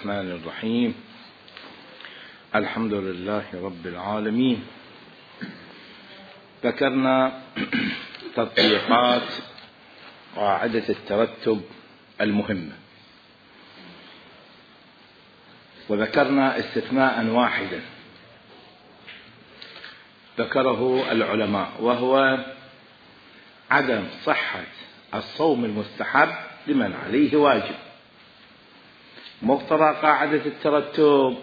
الرحمن الرحيم. الحمد لله رب العالمين. ذكرنا تطبيقات قاعدة الترتب المهمة، وذكرنا استثناء واحدا ذكره العلماء، وهو عدم صحة الصوم المستحب لمن عليه واجب. مقتضى قاعدة الترتب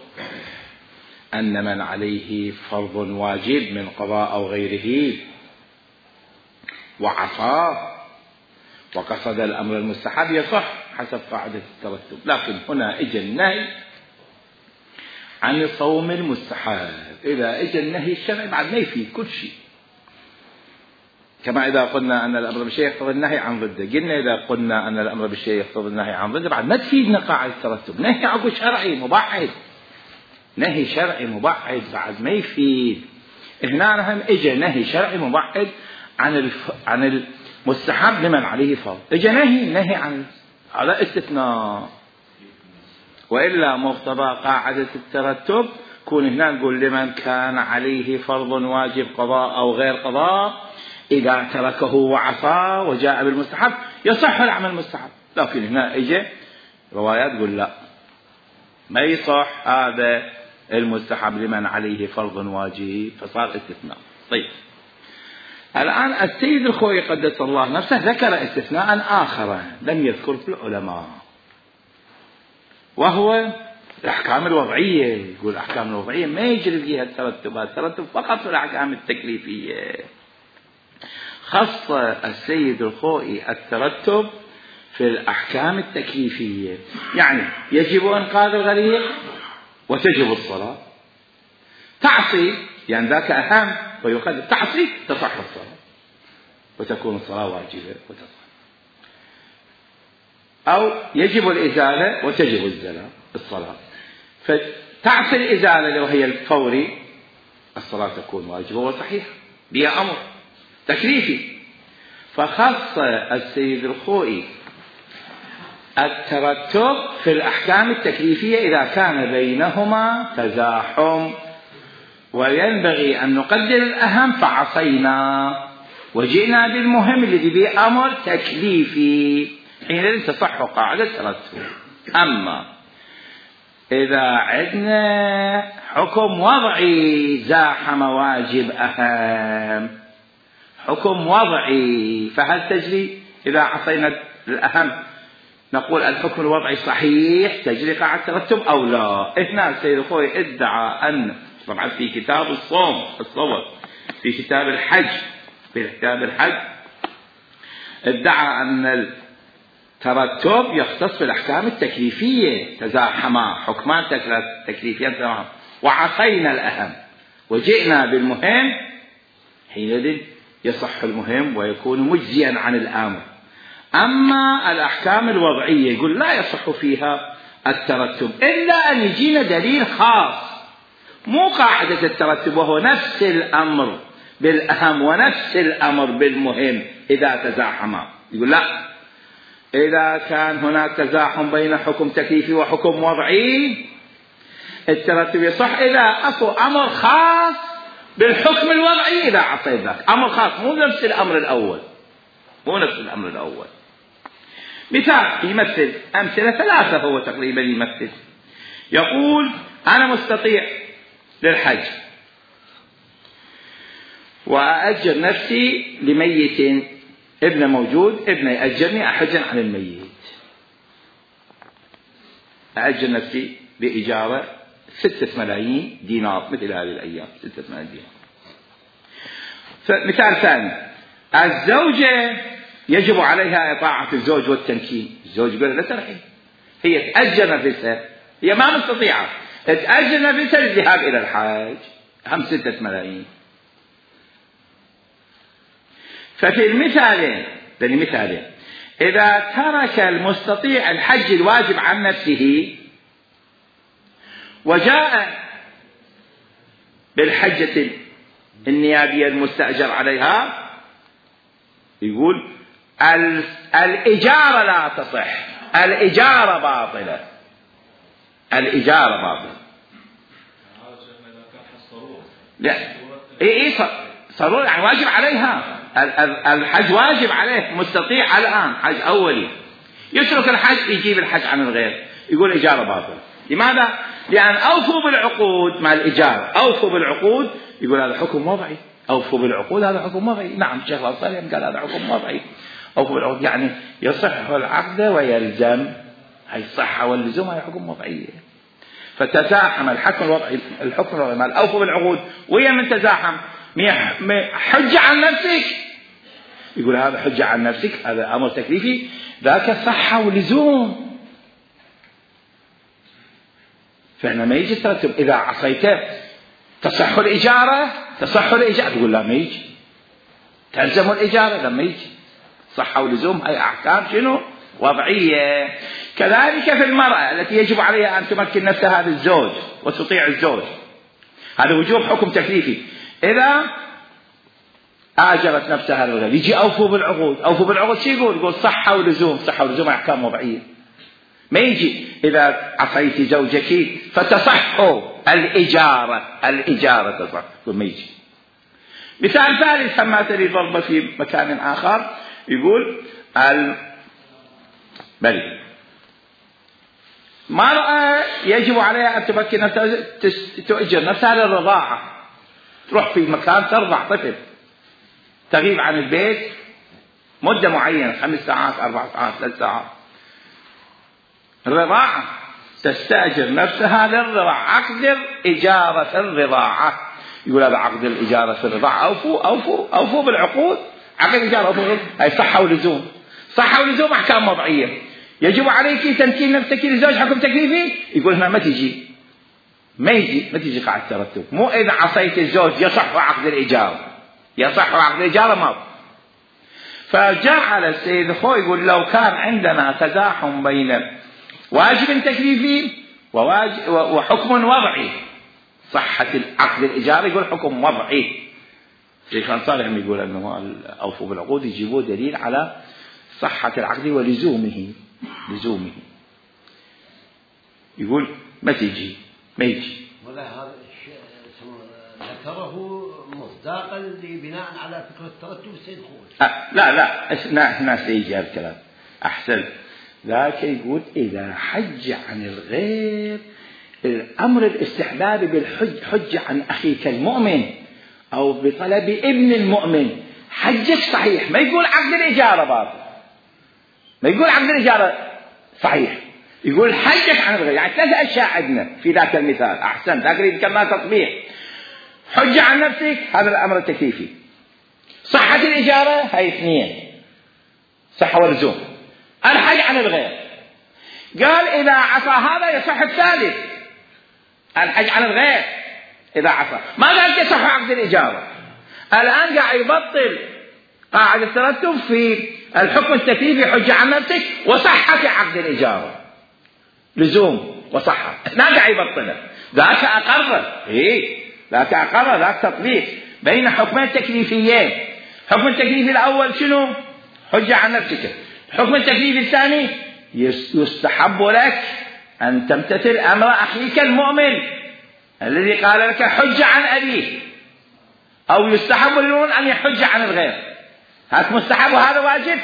أن من عليه فرض واجب من قضاء أو غيره وعصاه وقصد الأمر المستحب يصح حسب قاعدة الترتب. لكن هنا اجى النهي عن الصوم المستحب. إذا اجى النهي الشرعي بعد ما يفيد كل شيء، كما إذا قلنا أن الأمر بالشيء يقتضي النهي عن ضده، قلنا إذا قلنا أن الأمر بالشيء يقتضي النهي عن ضده بعد ما تفيدنا قاعدة الترتب. نهي عقو شرعي مبعد، نهي شرعي مبعد بعد ما يفيد. هنا هم اجى نهي شرعي مبعد عن المستحب لمن عليه فرض، اجى نهي عن على استثناء. وإلا مقتضى قاعدة الترتب كون هنا نقول لمن كان عليه فرض واجب قضاء أو غير قضاء إذا تركه وعصى وجاء بالمستحب يصح العمل المستحب. لكن هنا اجى روايات تقول لا، ما يصح هذا المستحب لمن عليه فرض واجب، فصار استثناء. طيب الآن السيد الخوئي قدس الله نفسه ذكر استثناء آخر لم يذكره العلماء، وهو الأحكام الوضعية. يقول الأحكام الوضعية ما يجري فيها الترتب فقط في الأحكام التكليفية. خص السيد الخوئي الترتب في الأحكام التكليفية، يعني يجب إنقاذ الغريق وتجب الصلاة. تعصي يعني ذاك أهم ويقدر، تعصي تصح الصلاة وتكون الصلاة واجبة وتصح. أو يجب الإزالة وتجب الصلاة، فتعصي الإزالة وهي الفوري الصلاة تكون واجبة وصحيحة بها أمر تكليفي. فخص السيد الخوئي الترتب في الأحكام التكليفية إذا كان بينهما تزاحم، وينبغي أن نقدر الأهم فعصينا وجئنا بالمهم الذي به أمر تكليفي، حينئذ تصح قاعدة الترتب. أما إذا عندنا حكم وضعي زاحم واجب أهم، حكم وضعي، فهل تجري إذا عصينا الأهم نقول الحكم الوضعي صحيح تجري قاعدة الترتب أو لا؟ هنا السيد الخوئي ادعى أن، طبعا في كتاب الصوم في كتاب الحج ادعى أن الترتب يختص بالأحكام التكليفية، تزاحما حكمان تكليفيان تزاحما وعصينا الأهم وجئنا بالمهم، حينئذ يصح المهم ويكون مجزيا عن الآمر. أما الأحكام الوضعية يقول لا يصح فيها الترتب إلا أن يجينا دليل خاص، مو قاعدة الترتب وهو نفس الأمر بالأهم ونفس الأمر بالمهم إذا تزاحما. يقول لا، إذا كان هناك تزاحم بين حكم تكليفي وحكم وضعي الترتب يصح إذا أكو أمر خاص بالحكم الوضعي إذا عصيت ذاك أمر خاص، مو نفس الأمر الأول. مثال يمثل أمثلة ثلاثة هو تقريبا يمثل، يقول أنا مستطيع للحج وأأجر نفسي لميت، ابن موجود، ابن يأجرني أحجا عن الميت، أأجر نفسي بإجارة 6 ملايين دينار مثل هذه الأيام 6 ملايين دينار. مثال ثاني، الزوجة يجب عليها إطاعة الزوج والتمكين، الزوج يقول لا ترحي، هي تأجر نفسها، هي ما مستطيعة تأجر نفسها للذهاب إلى الحج، هم 6 ملايين. ففي المثالين إذا ترك المستطيع الحج الواجب عن نفسه وجاء بالحجة النيابية المستأجر عليها، يقول الإجارة لا تصح، الإجارة باطلة، الإجارة باطل. لا إيه صاروا يعني واجب عليها الحج، واجب عليه مستطيع الآن حج أولي، يترك الحج يجيب الحج عن الغير، يقول إجارة باطل. لماذا؟ لأن أوفوا بالعقود مع الإجارة، أوفوا بالعقود، يقول هذا حكم وضعي، أوفوا بالعقود هذا حكم وضعي. نعم الشيخ الأنصاري قال هذا حكم وضعي، أوفوا بالعقود يعني يصح العقد ويلزم، هي الصحة واللزوم هي حكم وضعية. فتزاحم الحكم الوضعي مع الأوفوا بالعقود، ويا من تزاحم حجة عن نفسك، يقول هذا حجة عن نفسك، هذا أمر تكليفي، ذاك صحة ولزوم. فهنا ما يجي ترتب إذا عصيته تصح الإجارة، تقول لا ما يجي، تلزم الإجارة لما يجي صحة ولزوم، هي أحكام شنو؟ وضعية. كذلك في المرأة التي يجب عليها أن تمكن نفسها للزوج وتطيع الزوج، هذا وجوب حكم تكليفي. إذا آجرت نفسها للغير يجي أوفوا بالعقود، أوفوا بالعقود شو يقول صحة ولزوم، صحة ولزوم أحكام وضعية. ما يجي إذا عصيت زوجك فتصح الإجارة تصح، ما يجي. مثال ثالث كما تري ضربة في مكان آخر، يقول بل مرأة يجب عليها أن تمكن نفسها تؤجر نفسها للرضاعة، تروح في مكان ترضع طفل، تغيب عن البيت مدة معينة 5 ساعات 4 ساعات 3 ساعات، الرضاعة تستأجر نفسها للرضاعة، عقد إجارة الرضاعة، يقول هذا عقد الإجارة في الرضاعة، أوفوا بالعقود، عقد إجارة أوفوا، هي صحة ولزوم، صحة ولزوم أحكام وضعية. يجب عليك تمكين نفسك لزوج حكم تكليفي، يقول هنا ما تجي قاعدة ترتب، مو إذا عصيت الزوج يصح عقد الإجارة، يصح عقد الإجارة ما. فجعل السيد الخوي يقول لو كان عندنا تزاحم بين واجب تكليفي وحكم وضعي، صحة عقد الإجارة يقول حكم وضعي. الشيخ الأنصاري يقول أنه أوفوا بالعقود يجيبوا دليل على صحة العقد ولزومه، يقول ما يجي. ولا هذا ذكره مصداقا لبناء على فكرة الترتب السيد خوي. لا هنا سيجي هذا الكلام أحسن. ذاك يقول إذا حج عن الغير، الأمر الاستحبابي بالحج عن أخيك المؤمن أو بطلب ابن المؤمن، حجك صحيح، ما يقول عقد الإجارة باطل، ما يقول عقد الإجارة صحيح، يقول حجك عن الغير. يعني 3 أشياء عندنا في ذاك المثال. أحسن، ذاك اللي كما تطبيق حج عن نفسك، هذا الأمر التكليفي. صحة الإجارة هاي 2، صحة ولزوم. الحج عن الغير قال إذا عصى هذا يصح الثالث، الحج عن الغير إذا عصى، ما قال يصح عقد الإجارة. الآن قاعد يبطل قاعدة الترتب في الحكم التكليفي، حج عن نفسك وصحة عقد الإجارة، لزوم وصحة، هنا قاعد يبطله. ذاك أقرر ذاك تطبيق بين حكمين تكليفيين. حكم التكليف الأول شنو؟ حج عن نفسك. الحكم التكليف الثاني يستحب لك أن تمتثل أمر أخيك المؤمن الذي قال لك حج عن أبيه، أو يستحب للمؤمن أن يحج عن الغير. هذا مستحب وهذا واجب.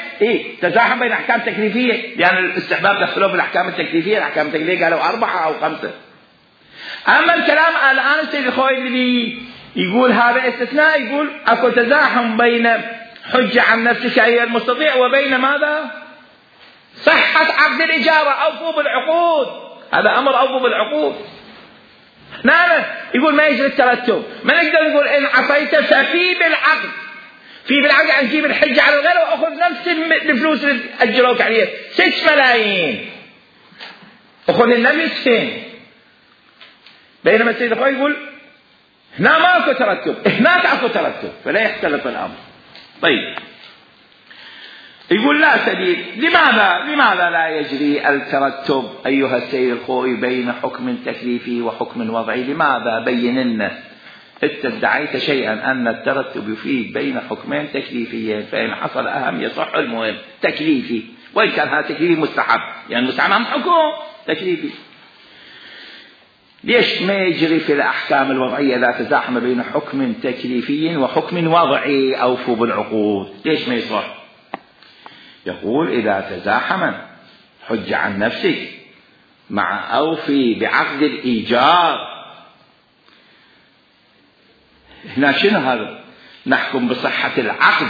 تزاحم بين أحكام تكليفية، لأن الاستحباب دخلوا بالأحكام التكليفية، الأحكام التكليفية قالوا 4 أو 5. أما الكلام الآن السيد الخوي اللي يقول هذا استثناء، يقول أكو تزاحم بين حج عن نفسك أيها المستطيع وبين ماذا؟ صحة عقد الإجارة، أوفوا بالعقود، هذا أمر أوفوا بالعقود. نعم يقول ما يجري الترتب، ما نقدر نقول إن عصيت ففي بالعقد، في بالعقد عن جيب الحج على الغير وأخذ نفس الفلوس اللي أجروك عليها 6 ملايين، أخذ النفسين. بينما السيد الخوي يقول هنا ما أكو ترتب، هناك أكو ترتب، فلا يختلف الأمر. طيب يقول لا سبيل. لماذا لا يجري الترتب أيها السيد الخوي بين حكم تكليفي وحكم وضعي؟ لماذا؟ بين لنا. أنت ادعيت شيئا أن الترتب يفيد بين حكمين تكليفيين، فإن حصل أهم يصح المهم تكليفي، وإن كان هذا تكليفي مستحب، يعني مستحب حكم تكليفي. ليش ما يجري في الأحكام الوضعية إذا تزاحم بين حكم تكليفي وحكم وضعي أوفوا بالعقود؟ ليش ما يصح؟ يقول إذا تزاحم حج عن نفسك مع أوفي بعقد الإيجار. هنا شنو هذا؟ نحكم بصحة العقد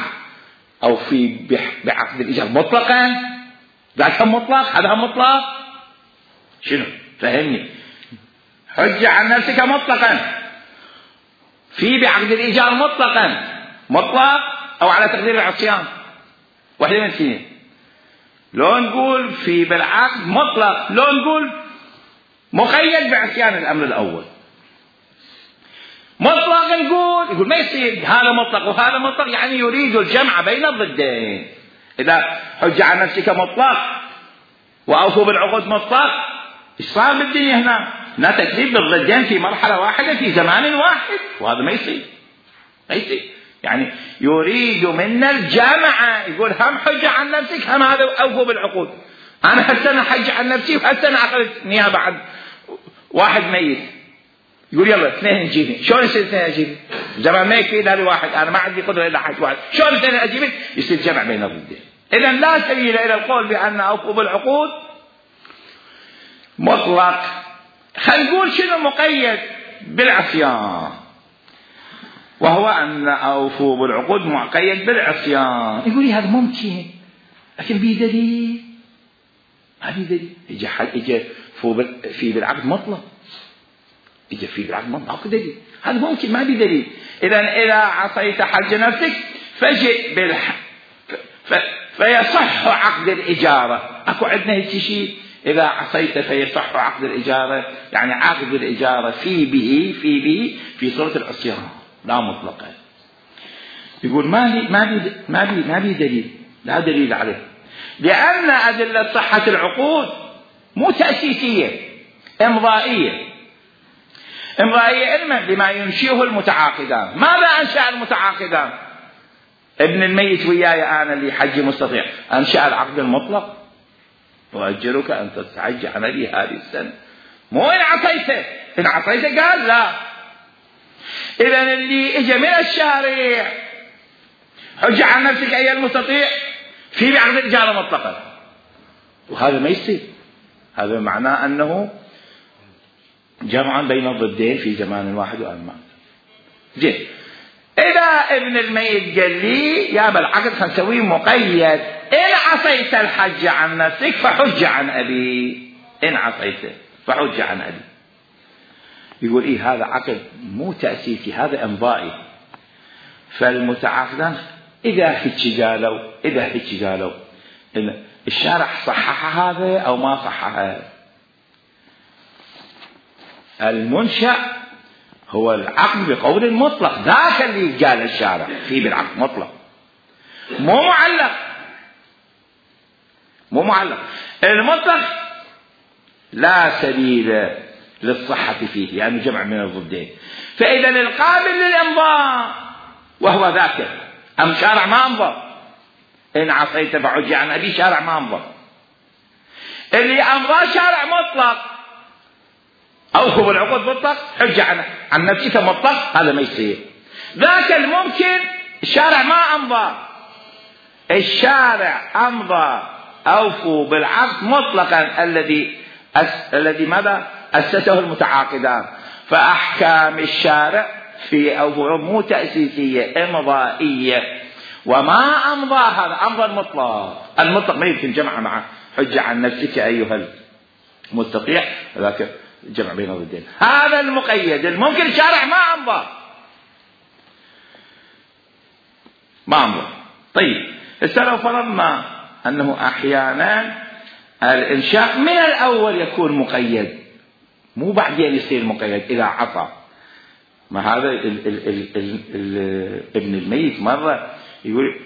أوفي بعقد الإيجار مطلقا؟ ذاك مطلق، هذا مطلق. شنو؟ فهمني. حج عن نفسك مطلقا، في بعقد الإيجار مطلقا، مطلق أو على تقدير العصيان، واحدة من الاثنين. لو نقول في بالعقد مطلق، لو نقول مقيد بعصيان الأمر الأول. مطلق يقول ما يصير هذا مطلق وهذا مطلق، يعني يريد الجمع بين الضدين. إذا حج عن نفسك مطلق وأوفوا بالعقود مطلق، إيش صار بالدنيا هنا؟ لا تكذيب بالضدين في مرحلة واحدة في زمان واحد، وهذا ما يصير. ما يصير، يعني يريد منا الجامعة. يقول هم حج عن نفسك هم هذا أوفوا بالعقود. أنا هالسنة حج عن نفسي وهالسنة أخذت نيابة عن واحد ميت. يقول يلا اثنين نجيبه. شلون يصير اثنين أجيبه؟ زمان ما يكفي إلا لواحد، أنا ما عندي قدرة إلا حج واحد. شلون اثنين أجيبه؟ يصير جمع بين الضدين. إذا لا سبيل إلى القول بأن أوفوا بالعقود مطلق. خلينا نقول شنو مقيد بالعصيان، وهو أن أوفوا بالعقود مقيد بالعصيان. يقول لي هذا ممكن، لكن بيه دليل؟ ما بيه دليل. إجا في بالعقد مطلق، إجا في بالعقد مطلق، أكو دليل. هذا ممكن، ما بيه دليل. إذا عصيت حج نفسك فجئ فيصح عقد الإجارة. أكو عندنا هيك شيء، إذا عصيت فيصح عقد الإجارة، يعني عقد الإجارة في صورة العصيان لا مطلقا. يقول ما بي دليل، لا دليل عليه، لأن أدلة صحة العقود مو تأسيسية، إمضائية علما بما ينشئه المتعاقدان. ماذا أنشأ المتعاقدان؟ ابن الميت وياي أنا اللي حجي مستطيع، أنشأ العقد المطلق، وأجرك أن تستحج عملي هذه السنة. مو إن عصيته قال لا. إذا اللي إجا من الشارع حج عن نفسك أيها المستطيع في بعقد الإجارة مطلقا، وهذا ما يصير. هذا معناه أنه جمعا بين الضدين في زمان واحد وأمان. جيد. إذا ابن الميت قال لي يا بالعقد خنسوي مقيد، إن عصيت الحج عن نفسك فحج عن أبي. إن عصيته فحج عن أبي. يقول إيه هذا عقد مو تأسيسي، هذا إمضائي. فالمتعاقدان إذا هيك قالوا إن الشارع صحح هذا أو ما صحح. المنشأ هو العقد بقول المطلق، ذاك اللي قال الشارع فيه بالعقد مطلق، مو معلق. المطلق لا سبيل للصحة فيه لأنه جمع من الضدين. فإذا القابل للإمضاء وهو ذاك، أم شارع ما أمضى. إن عصيت فحج عن أبي، شارع ما أمضى. اللي أمضى شارع مطلق، أوفوا بالعقود مطلق، حج عن نفسك مطلق، هذا ما يصير. ذاك الممكن الشارع ما أمضى، الشارع أمضى أوفوا بالعقد مطلقا الذي ماذا أسسه المتعاقدان. فأحكام الشارع في أوفوا مو تأسيسية، إمضائية. وما أمضى هذا أمضى المطلق ما يمكن جمع مع حج عن نفسك أيها المستطيع، ذاك جمع بين الضدين. هذا المقيد الممكن الشارع ما أمضى. طيب هسه لو فرضنا أنه أحيانا الإنشاء من الأول يكون مقيد، مو بعدين يصير مقيد إذا عطى. ما هذا ابن الميت مرة يقول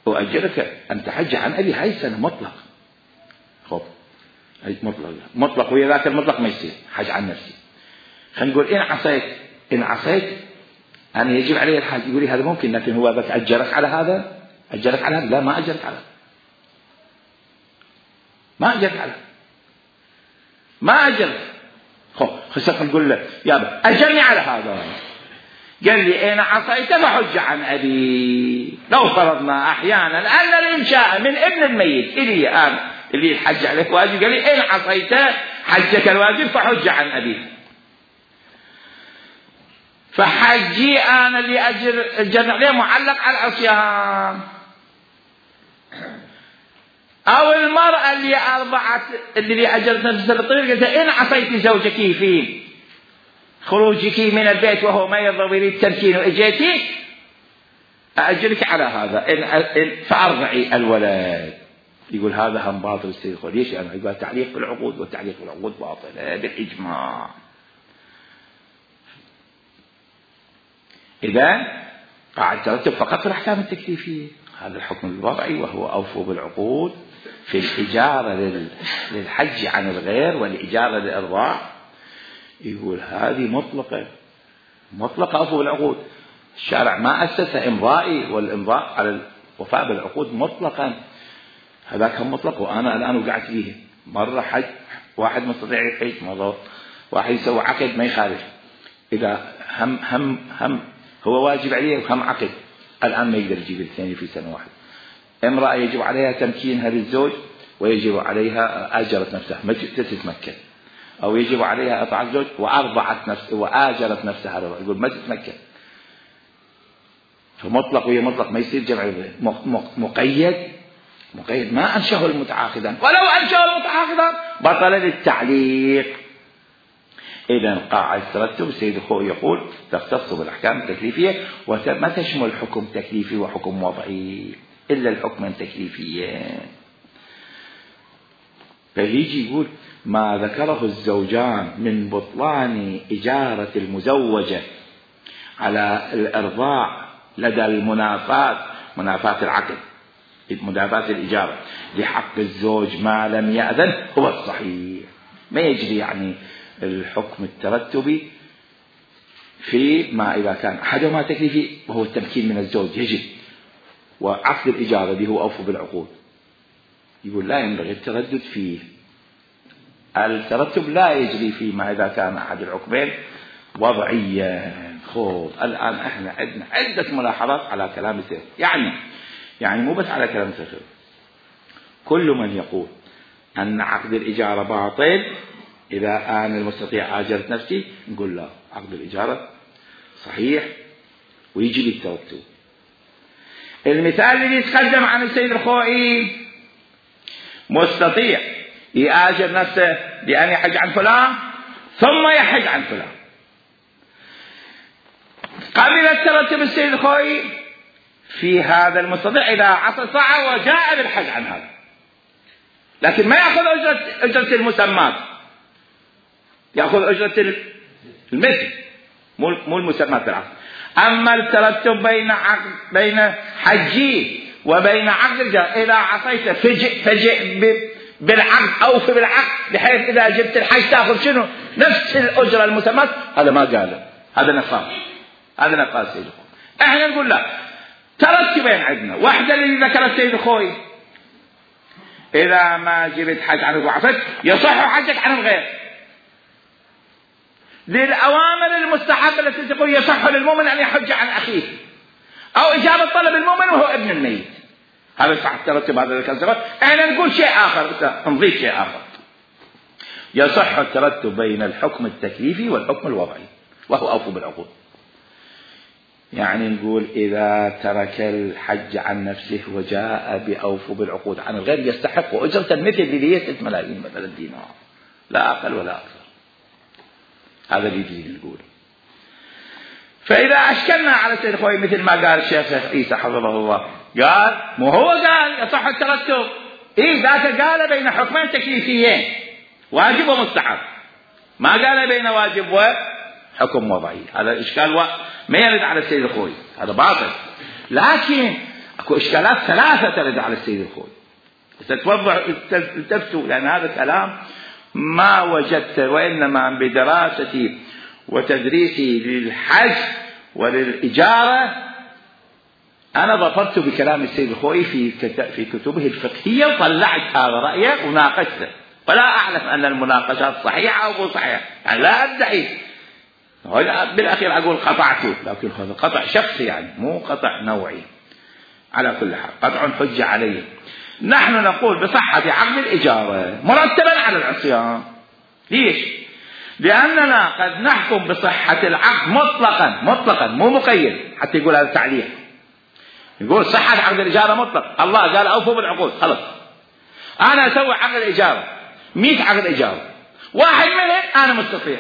أؤجرك أن تحج عن أبي هاي السنة مطلق. خب مطلق ويا ذاك المطلق ما يصير حج عن نفسي. خلينا نقول إن عصيت أنا يجب عليه الحج. يقول لي هذا ممكن، لكن هو بس أجرك على هذا. لا، ما أجرك على ما أجرك. خسق نقول له يابا أجرني على هذا. قال لي إن عصيت فحج عن أبي. لو فرضنا أحيانا أن الإنشاء من ابن الميت إلي أنا اللي الحج عليك واجب، قال لي إن عصيت حجك الواجب فحج عن أبي، فحجي أنا اللي أجر عليه معلق على العصيان. أو المرأة اللي أجرت نفسها بالطريق قالت إن عصيت زوجك في خروجك من البيت وهو ما يرضى ويريد التمكين وإجيتي أأجرك على هذا فأرضعي الولد. يقول هذا هم باطل السيد الخوئي. ليش؟ يعني يقول تعليق بالعقود، والتعليق بالعقود باطل بالإجماع. إذا قاعد ترتب فقط في الأحكام التكليفية. هذا الحكم الوضعي وهو أوفوا بالعقود في الإجارة للحج عن الغير والإجارة للإرضاع. يقول هذه مطلقة أوفوا بالعقود. الشارع ما أسس إمضائي، والإمضاء على الوفاء بالعقود مطلقا. هذاك هم مطلق، وأنا الآن وقعت فيه. مرة حج واحد مستطيع يحج، مرة واحد يسوي عقد ما يخالف. إذا هم هو واجب عليه وهم عقد، الآن ما يقدر يجيب الاثنين في سنة واحدة. امرأة يجب عليها تمكينها للزوج ويجب عليها أجرت نفسها ما تتمكن، أو يجب عليها إطاعة الزوج وأرضعت نفسها وآجرت نفسها، يقول ما تتمكن. فمطلق وهي مطلق، ما يصير جمع. مقيد ما أنشه المتعاقدان، ولو أنشه المتعاقدان بطل للتعليق. إذا قاعدة ترتب السيد الخوئي يقول تختص بالأحكام التكليفية وما تشمل حكم تكليفي وحكم وضعي إلا الحكم التكليفي. فيجي يقول ما ذكره الزوجان من بطلان إجارة المزوجة على الإرضاع لدى منافاة العقد، منافاة الإجارة لحق الزوج ما لم يأذن هو الصحيح. ما يجري يعني الحكم الترتبي في ما إذا كان أحدهما تكليفي وهو التمكين من الزوج يجب، وعقد الإجارة اللي هو أوفوا بالعقود. يقول لا ينبغي التردد فيه. الترتب لا يجري فيه ما إذا كان أحد الحكمين وضعيا. الآن احنا عندنا عدة ملاحظات على كلام السيد، يعني مو بس على كلام السيد. كل من يقول أن عقد الإجارة باطل إذا أنا المستطيع آجرت نفسي، نقول لا، عقد الإجارة صحيح ويجي بالترتب. المثال اللي يتقدم عن السيد الخوئي مستطيع يآجر نفسه بأن يحج عن فلان ثم يحج عن فلان. قبل الترتب السيد الخوئي في هذا المستطيع إذا عصى ساعة وجاء بالحج عن هذا، لكن ما يأخذ أجرة المسمات، يأخذ أجرة المثل مو المسمات بالعقد. أما الترتب بين حجي وبين عقد الإجارة، إذا عصيت فجئ بالعقد أوفي بالعقد، بحيث إذا جبت الحج تأخذ شنو نفس الأجرة المسمات. هذا ما قاله، هذا نقاص سيد الخوئي. احنا نقول لا، ترتبين عندنا. واحدة اللي ذكر السيد الخوئي إذا ما جبت حج عن وعصيت يصح حجك عن الغير. للأوامر المستحبة التي تقول يصح للمؤمن أن يحج عن أخيه، أو إجابة طلب المؤمن وهو ابن الميت، هذا صح الترتب. هذا الكلام احنا نقول شيء آخر، نضيف شيء آخر. يصح الترتب بين الحكم التكليفي والحكم الوضعي وهو أوفوا بالعقود. يعني نقول إذا ترك الحج عن نفسه وجاء بأوفوا بالعقود عن الغير يستحق أجرة المثل الذي 6 ملايين مثلا دينار، لا أقل ولا أكثر. هذا اللي يجي نقول. فإذا أشكلنا على السيد الخوئي مثل ما قال الشيخ عيسى حفظه الله، قال مو هو قال يصح الترتب، ذاك قال بين حكمين تكليفيين واجب ومستحب، ما قال بين واجب وحكم وضعي. هذا إشكال ما يرد على السيد الخوئي، هذا باطل. لكن اكو إشكالات 3 ترد على السيد الخوئي، التفتوا، لأن هذا كلام ما وجدت، وإنما بدراستي وتدريسي للحج وللإجارة أنا ظفرت بكلام السيد الخوئي في كتبه الفقهية، وطلعت هذا رأيه وناقشته. ولا أعلم أن المناقشات صحيحة أو مو صحيحة، يعني لا أدعي، بالأخير أقول قطعته، لكن هذا قطع شخصي يعني مو قطع نوعي. على كل حال قطع حجة عليه. نحن نقول بصحة عقد الإجارة مرتبا على العصيان. ليش؟ لأننا قد نحكم بصحة العقد مطلقا مو مقيد، حتى يقول هذا التعليق، يقول صحة عقد الإجارة مطلق. الله قال أوفوا بالعقود، خلص. أنا أسوي عقد الإجارة 100 عقد إجارة، واحد منهم أنا مستطيع.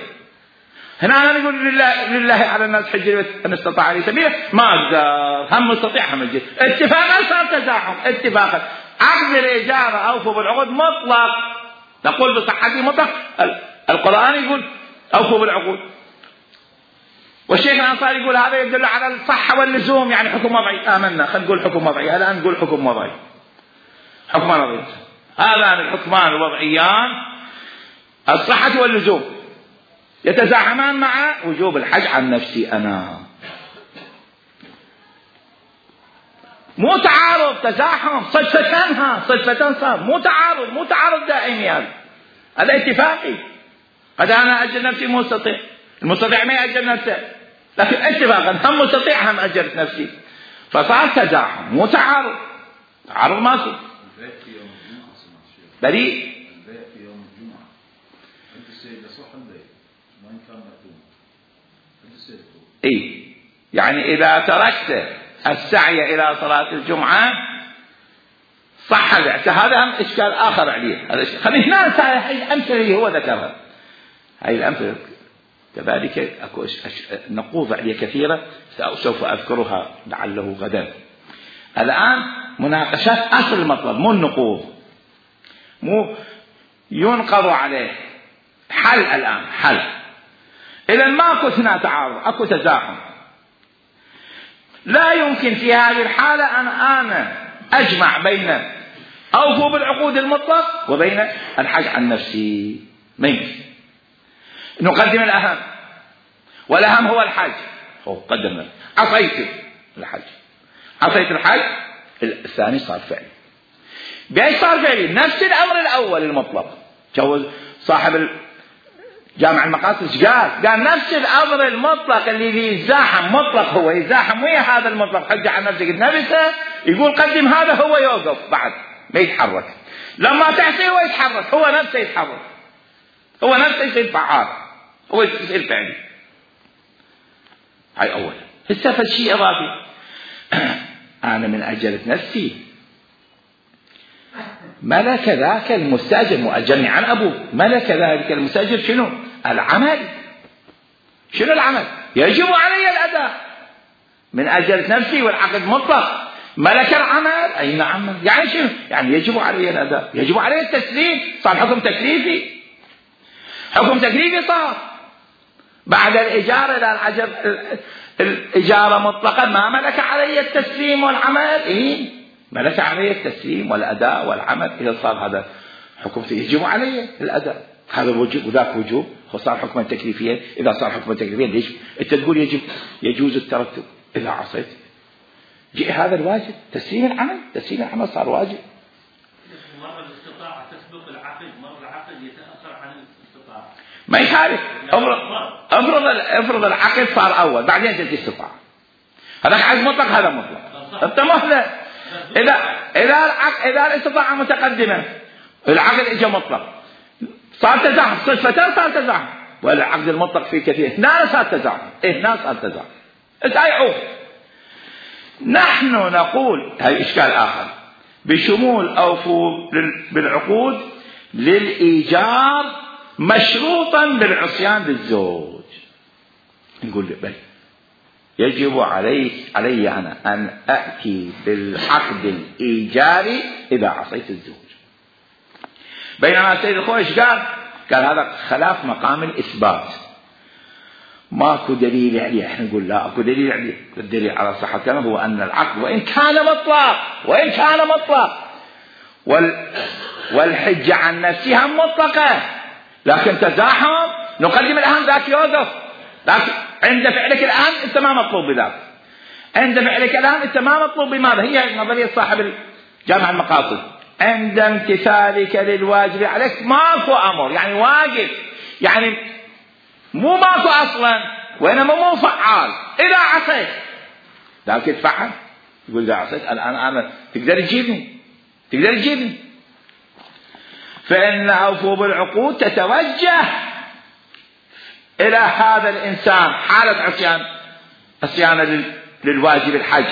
هنا أنا نقول لله على الناس حج البيت إن استطاع لي سبيلا، ما أقدر، هم مستطيع هم الجد. اتفاقا صار تزاحم، اتفاقا عقد الإجارة أوفوا بالعقود مطلق، نقول بصحته مطلق. القرآن يقول أوفوا بالعقود، والشيخ الأنصاري يقول هذا يدل على الصحة واللزوم، يعني حكم وضعي. آمنا، خلينا نقول حكم وضعي، الآن نقول حكم وضعي، حكمان وضعي. هذان الحكمان الوضعيان الصحة واللزوم يتزاحمان مع وجوب الحج عن نفسي أنا. مو تعارض، تزاحم، صدفتان صار، مو تعارض دائمي. هذا اتفاقي. قد أنا أجل نفسي مستطيع، المستطيع ما يأجل نفسه، لكن اتفاقا هم مستطيع هم أجلت نفسي، فصار تزاحم مو تعارض. تعارض ماكو. بريء البيع في يوم الجمعة، أنت السيد صح البيع وإن كان مكتوب، أنت السيد إيه، يعني إذا تركت السعي إلى صلاة الجمعة صح البيع. هذا هم إشكال آخر عليه. هذا خلينا هاي الأمثلة هو ذكرها، هاي الأمثلة كذلك أكو نقوض عليه كثيرة سوف أذكرها لعله غدا. الآن مناقشات أصل المطلب، مو النقوض، مو ينقض عليه. حل الآن، حل. إذا ماكو هنا تعارض، أكو تزاحم، لا يمكن في هذه الحالة أن أنا أجمع بين أوفوا بالعقود المطلق وبين الحج عن نفسي. ما يمكن. نقدم الأهم، والأهم هو الحج. قدمنا عصيت الحج، عصيت الحج، الثاني صار فعلي. بأي صار فعلي؟ نفس الأمر الأول المطلق. جوز صاحب جامع المقاصد قال نفس الأمر المطلق اللي يزاحم مطلق، هو يزاحم ويا هذا المطلق حج عن نفسك نفسه، يقول قدم هذا، هو يوقف بعد ما يتحرك. لما تحصي هو يتحرك، هو نفسه يتحرك، هو نفسه يصير فعال، هو يصير فعلي. هاي أول. هسه شيء إضافي، أنا من أجلة نفسي ملك ذاك المستأجر، مؤجرني عن أبوه، ملك ذلك المستأجر شنو؟ العمل. شنو العمل؟ يجب علي الأداء من أجلة نفسي، والعقد مطلق. ملك العمل، أي نعم، يعني شنو؟ يعني يجب علي الأداء، يجب علي التسليم. صار حكم تكليفي، حكم تكليفي صار بعد الإجارة. إذا الإجارة مطلقة ما ملك علي التسليم والعمل، إيه ملك علي التسليم والأداء والعمل. إذا صار هذا حكم يجب علي الأداء، هذا وجوب وذاك وجوب، وصار حكما تكليفيا. إذا صار حكما تكليفيا ليش أنت تقول يجوز الترتب؟ إذا عصيت جاء هذا الواجب، تسليم العمل صار واجب. مرة الاستطاعة تسبق العقد، مرة العقد يتأخر عن الاستطاعة. ما يخالف. افرض العقد صار أول بعدين تجي استطاعة، هذا عقد مطلق، هذا مطلق. أنت مهلة. إذا الاستطاعة متقدمة، العقد إجا مطلق، صار تزاحم، صدفتان صار تزاحم. والعقد المطلق فيه كثير، هنا صار تزاحم، هنا صار تزاحم، اتعيعوا. نحن نقول هاي إشكال آخر بشمول أوفوا بالعقود للإيجار مشروطا بالعصيان للزوج. نقول بل يجب علي أنا أن أأتي بالعقد الإيجاري إذا عصيت الزوج. بينما السيد الخويش قال هذا خلاف مقام الإثبات، ماكو دليل عليه. احنا نقول لا اكو دليل عليه. الدليل على صحة كلامه هو أن العقد وإن كان مطلق والحجة عن نفسها مطلقة، لكن تزاحم نقدم الأهم، ذاك يوقف. لكن عند فعلك الآن أنت ما مطلوب بذاك، عند فعلك الآن أنت ما مطلوب بماذا؟ هي نظرية صاحب جامع المقاصد، عند امتثالك للواجب عليك ماكو أمر، يعني واجب، يعني مو ماكو أصلا، وإنما مو فعال. إذا عصيت لكن تفعل، يقول إذا عصيت الآن أنا تقدر تجيبني. فإن أوفوا بالعقود تتوجه إلى هذا الإنسان حالة عصيان للواجب الحج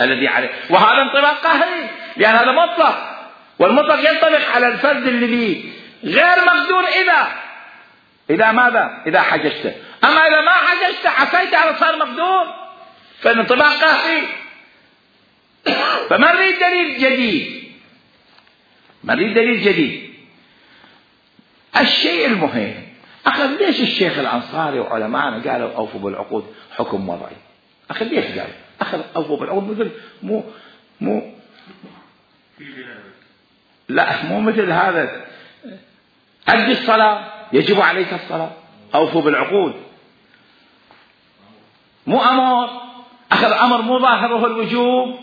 الذي عليه، وهذا انطباق قهري، لأن هذا مطلق، والمطلق ينطبق على الفرد اللي غير مقدور إذا ماذا؟ إذا حججت. أما إذا ما حججت عصيت على صار مقدور، فالانطباق قهري. فما نريد دليل جديد. الشيء المهم، أخذ ليش الشيخ الأنصاري وعلماءنا قالوا أوفوا بالعقود حكم وضعي؟ أخذ ليش قال أخذ أوفوا بالعقود؟ مثل مو مثل هذا، أدي الصلاة يجب عليك الصلاة، أوفوا بالعقود مو أمر، أخذ أمر مو ظاهره الوجوب.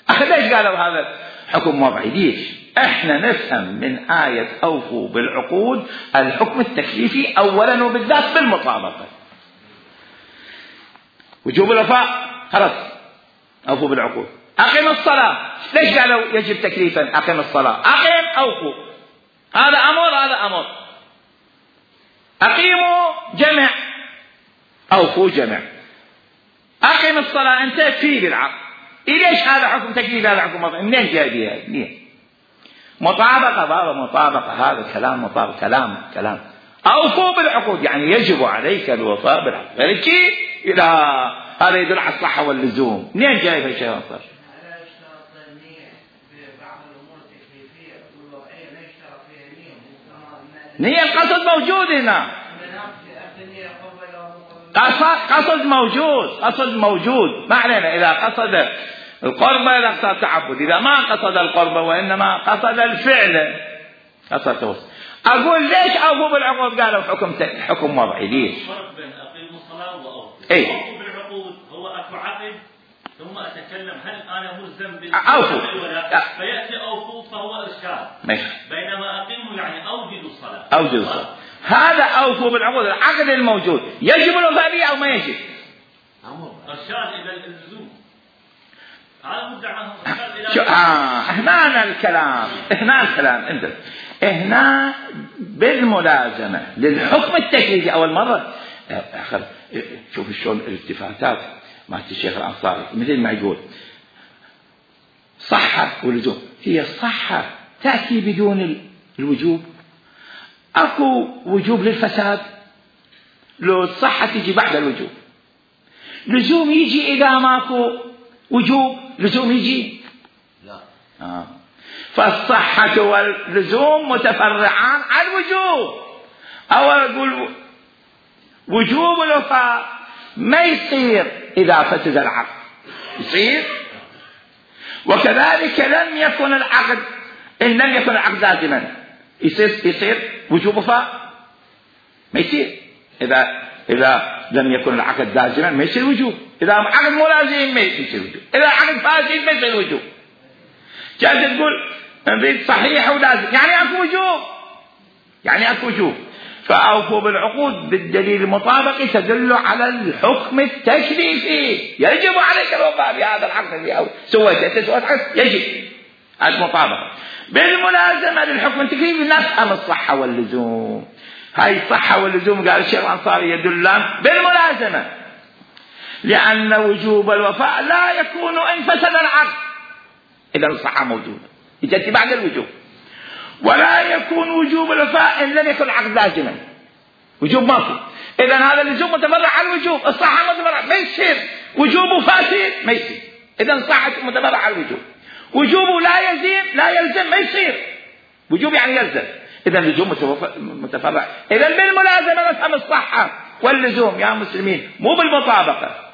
أخذ ليش قالوا هذا حكم وضعي؟ ليش؟ احنا نفهم من آية أوفوا بالعقود الحكم التكليفي أولا وبالذات بالمطابقة. وجوب الوفاء خلاص أوفوا بالعقود. أقم الصلاة ليش قالوا يجب تكليفا؟ أقم الصلاة، أقم أوفوا، هذا أمر. أقيموا جمع، أوفوا جمع. أقم الصلاة أنت في بالعقل. ليش هذا حكم تكليف هذا حكم وضعي؟ منين جايبها؟ منين؟ مطابقة بابا، مطابقة، هذا كلام مطابقة، كلام. أوفوا بالعقود يعني يجب عليك الوفاء بالعقود. فلكي إلى هذا يدل على الصحة واللزوم. منين جايب الشيء أنصار؟ نية القصد موجود هنا، قصد موجود. ما علينا إذا قصد القربة، إذا قصد التعبد، إذا ما قصد القربة وإنما قصد الفعل، قصد توسط. أقول ليش أوفوا بالعقود قالوا حكم وضعي؟ ليش؟ فرق بين أقيموا الصلاة وأوفوا. أوفوا بالعقود هو أكو عقد ثم أتكلم هل أنا ملزم أوفوا ولا، فيأتي أوفوا فهو إرشاد. بينما أقيموا يعني أوجدوا الصلاة. هذا أوفوا بالعقود العقد الموجود يجب الوفاء به أو ما يجب؟ إرشاد إلى اللزوم. هذا مدعاه هنا الكلام انت هنا بالملازمة للحكم التكليفي. أول مرة شوف شلون الالتفاتات مع الشيخ الأنصاري، مثل ما يقول صحة ولزوم. هي الصحة تأتي بدون الوجوب. أكو وجوب للفساد، لو الصحة تيجي بعد الوجوب. لزوم يجي إذا ماكو وجوب، لزوم يجي لا. فالصحة واللزوم متفرعان عن الوجوب. أو أقول وجوب الوفاء ما يصير إذا فسد العقد، يصير. وكذلك لم يكن العقد، إن لم يكن العقد لازما يصير وجوب وفاء؟ ما يصير. إذا لم يكن العقد لازما ما يصير وجوب. إذا عقد مو لازم ما يصير وجوب. إذا عقد فاسد ما يصير وجوب. جاءت تقول نريد صحيح ولازم، يعني أكو وجوب. فأوفوا بالعقود بالدليل المطابق تدل على الحكم التكليفي. يجب عليك الوفاء بهذا العقد اللي سويت عقد، يجب المطابقة. بالملازمة للحكم التكليفي نفهم الصحة واللزوم. هاي الصحة واللزوم قال الشيخ الأنصاري يدلان بالملازمة، لأن وجوب الوفاء لا يكون إن فسد العقد. إذا الصحة موجودة يجي بعد الوجوب. ولا يكون وجوب الوفاء إن لم يكن العقد لازما. وجوب ماكو. إذا هذا اللزوم متفرع على الوجوب، الصحة متفرع، ما يصير وجوب فاسد، ما يصير. إذا الصحة متفرع على الوجوب. وجوبه لا يلزم، ما يصير. وجوب يعني يلزم. إذا اللزوم متفرع. إذا بالملازمة نفهم الصحة واللزوم يا مسلمين، مو بالمطابقة.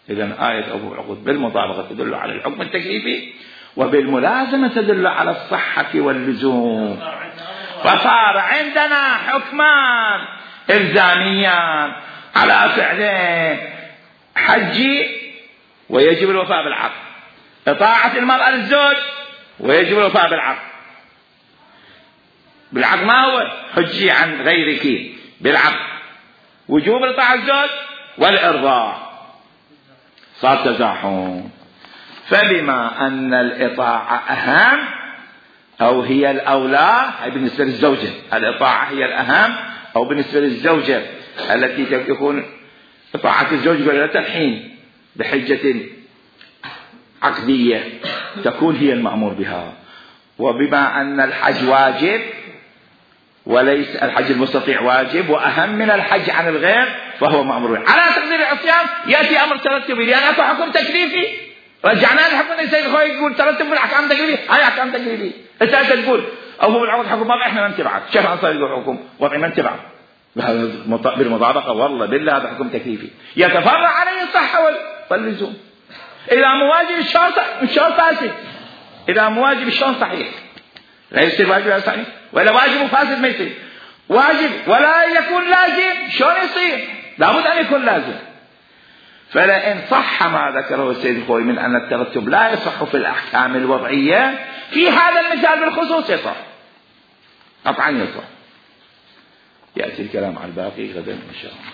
إذا آية أوفوا بالعقود بالمطابقة تدل على الحكم التكليفي، وبالملازمة تدل على الصحة واللزوم. فصار عندنا حكمان إلزاميان على فعلين: حجي ويجب الوفاء بالعقد، إطاعة المرأة للزوج ويجب الوفاء بالعقد ما هو حجي عن غيرك بالعقد. وجوب إطاعة الزوج والإرضاع صار تزاحم. فبما أن الإطاعة أهم أو هي الأولى بالنسبة للزوجة، الإطاعة هي الأهم، أو بالنسبة للزوجة التي تكون إطاعة الزوج قلة الحين بحجة عقدية تكون هي المأمور بها. وبما أن الحج واجب وليس الحج المستطيع واجب وأهم من الحج عن الغير فهو مأمور به. على تقدير العصيان يأتي أمر ترتبي، لأن أكو حكم تكليفي رجعنا للحكم. السيد الخوي يقول ترتب بالأحكام تكليفي، هاي أحكام تكليفي. أنت تقول أو هو العقد حكم وضعي إحنا ما نتبعك. شيخ الأنصاري يقول حكم وضعي ما نتبعك بالمطابقة، والله بالله هذا حكم تكليفي يتفرع عليه الصحة واللزوم. إذا مواجب الشرط فاسد، إذا مواجب الشرط صحيح لا يصير واجب صحيح، ولا واجب فاسد ما يصير واجب ولا يكون لازم. شلون يصير؟ لابد أن يكون لازم. فلئن صح ما ذكره السيد الخوي من أن الترتب لا يصح في الأحكام الوضعية، في هذا المثال بالخصوص يصح، قطعا يصح. يأتي الكلام على الباقي غدا إن شاء الله.